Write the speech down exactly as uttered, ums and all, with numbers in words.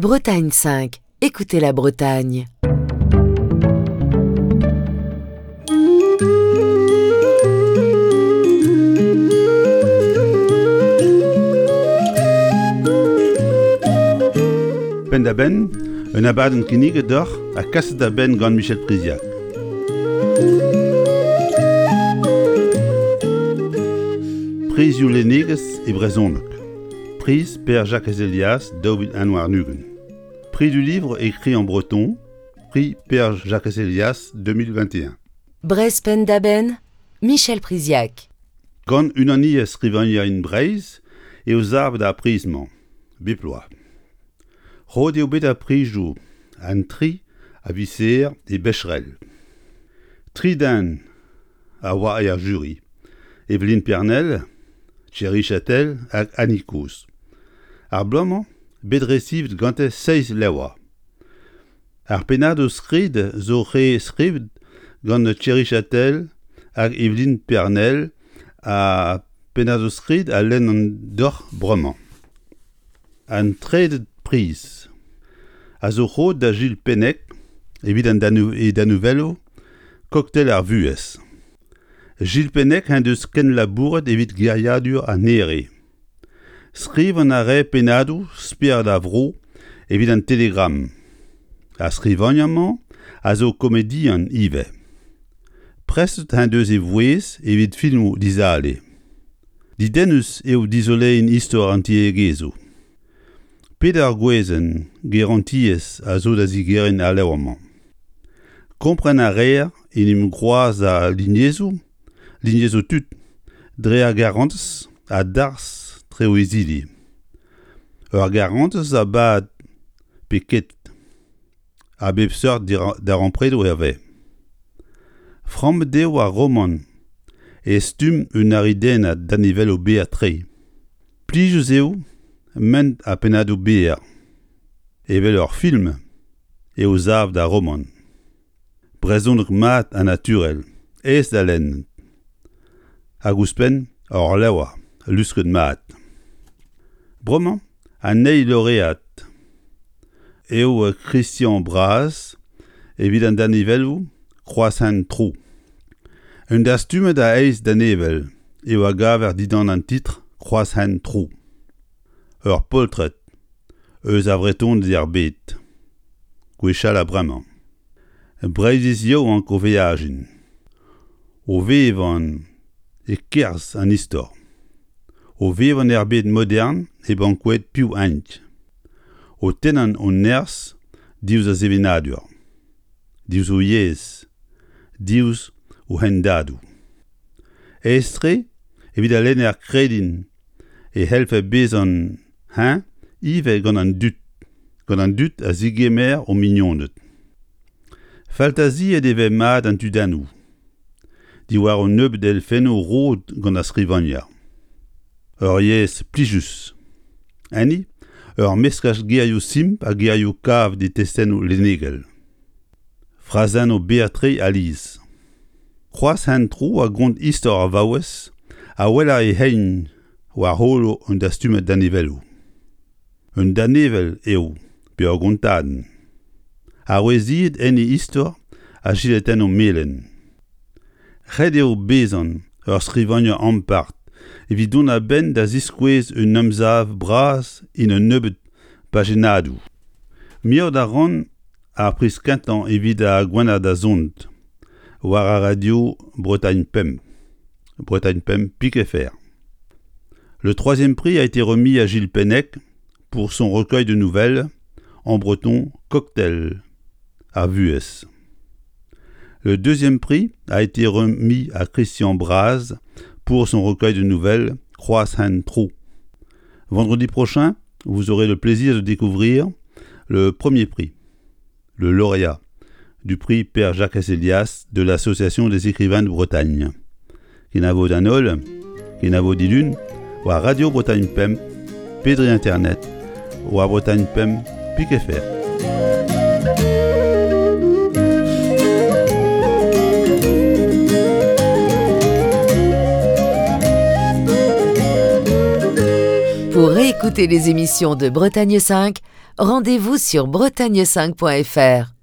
Bretagne cinq, écoutez la Bretagne. Penn-da-benn, un abadenn kinniget deoc'h ha kaset da benn gant Michel Priziac. Prizioù lennegezh e brezhoneg. Priz Pêr-Jakez Helias daou vil un warn-ugent. Prix du livre écrit en breton, prix Pêr-Jakez Helias deux mille vingt et un. Breizh Penn-da-Benn, Michel Priziac. Gant unaniezh skrivagnerien Breizh eo savet ar priz-mañ, bep bloaz. Roet eo bet ar prizioù an tri a viz e Becherel. Tri den a oa er juri, Evelyne Pernel, Thierry Châtel hag Annie Coz. Ar bloaz-mañ, bet resivet gante seizh levr. Ar pennadoù skrid zo re skrivet gant Thierry Châtel hag Evelyne Pernel ha pennadoù skrid a lenn an deoc'h bremañ. An trede priz a zo roet da Gilles Pennec evit an danu-, e danevelloù Cocktail ar vuhez. Gilles Pennec en deus kenlabouret evit geriadur an Here. Skrivañ a rae pennadoù Spered ar Vro evit an Telegram. Ar skrivagner-mañ a zo komedian ivez. Prestet en deus e vouezh evit filmoù dizale. Didennus eo dizoleiñ istor an tiegezhioù. Peder gwezenn gerantiezh a zo da zigerin al levr-mañ. Kompren a reer en em groaz a lignezoù, lignezoù tud, dre ar garantez a darzh tre o izili. Ur garantez a bad pe ket, a bep seurt dira-, darempredoù hervez. Frammet eo ar romant e stumm un aridennad danevelloù berr-tre. Plijus eo ment ar pennadoù berr. Evel ur film eo savet ar romant. Brezhoneg mat ha naturel, aes da lenn. Hag ouzhpenn ur levr lusket mat. Bremañ, an eil laureat eo Christian Braz evit an danevelloù Kroashent Tro. Un dastumad a eizh danevell eo a gaver dindan an titr Kroashent Tro. Ur poltred eus ar Vretoned er bed, gwechall ha bremañ. Breizhiz yaouank o veajin, o vevan e-kerzh an istor, o vevan er bed modern e bankouet piv int, o tennañ o nerzh diouzh ar sevenadur, diouzh o yezh, diouzh o hendadoù. Aes-tre evit al lenner kredin e c'hellfe bezañ eñ ivez gant an dud, gant an dud a zegemer o mignoned. Faltaziet e vez mat an tudennoù, diwar un nebeud elfennoù roet gant ar skrivagner. Ur yezh plijus. Enni, ur meskaj gerioù simpl ha gerioù kavet e testennoù lennegel. Frazennoù berr-tre alies. Kroashent Tro a gont istor ar vaouez a weler e c'hein war holo un dastumad danevelloù. Un danevell eo pe ur gontadenn. Aroueziet enni istor a jiletennoù melen. Ret eo bezañ ur skrivagner ampart evit dont a-benn da ziskouez un emsav bras en un nebeud pajennadoù. Mirout a ran ar priz kentañ evit ar gwener da zont war ar radio Bretagne pemp. Bretagne pemp pik F R. Le troisième prix a été remis à Gilles Pennec pour son recueil de nouvelles en breton Cocktail à Vues. Le deuxième prix a été remis à Christian Braz pour son recueil de nouvelles Kroashent Tro. Vendredi prochain, vous aurez le plaisir de découvrir le premier prix, le lauréat du prix Père Jacques Helias de l'Association des écrivains de Bretagne. Kenavo d'an holl, kenavo dilun, war Radio Bretagne Pemp, Pedri Internet, war Bretagne Pemp, Pik F R. Pour réécouter réécouter les émissions de Bretagne cinq, rendez-vous sur bretagne cinq point F R.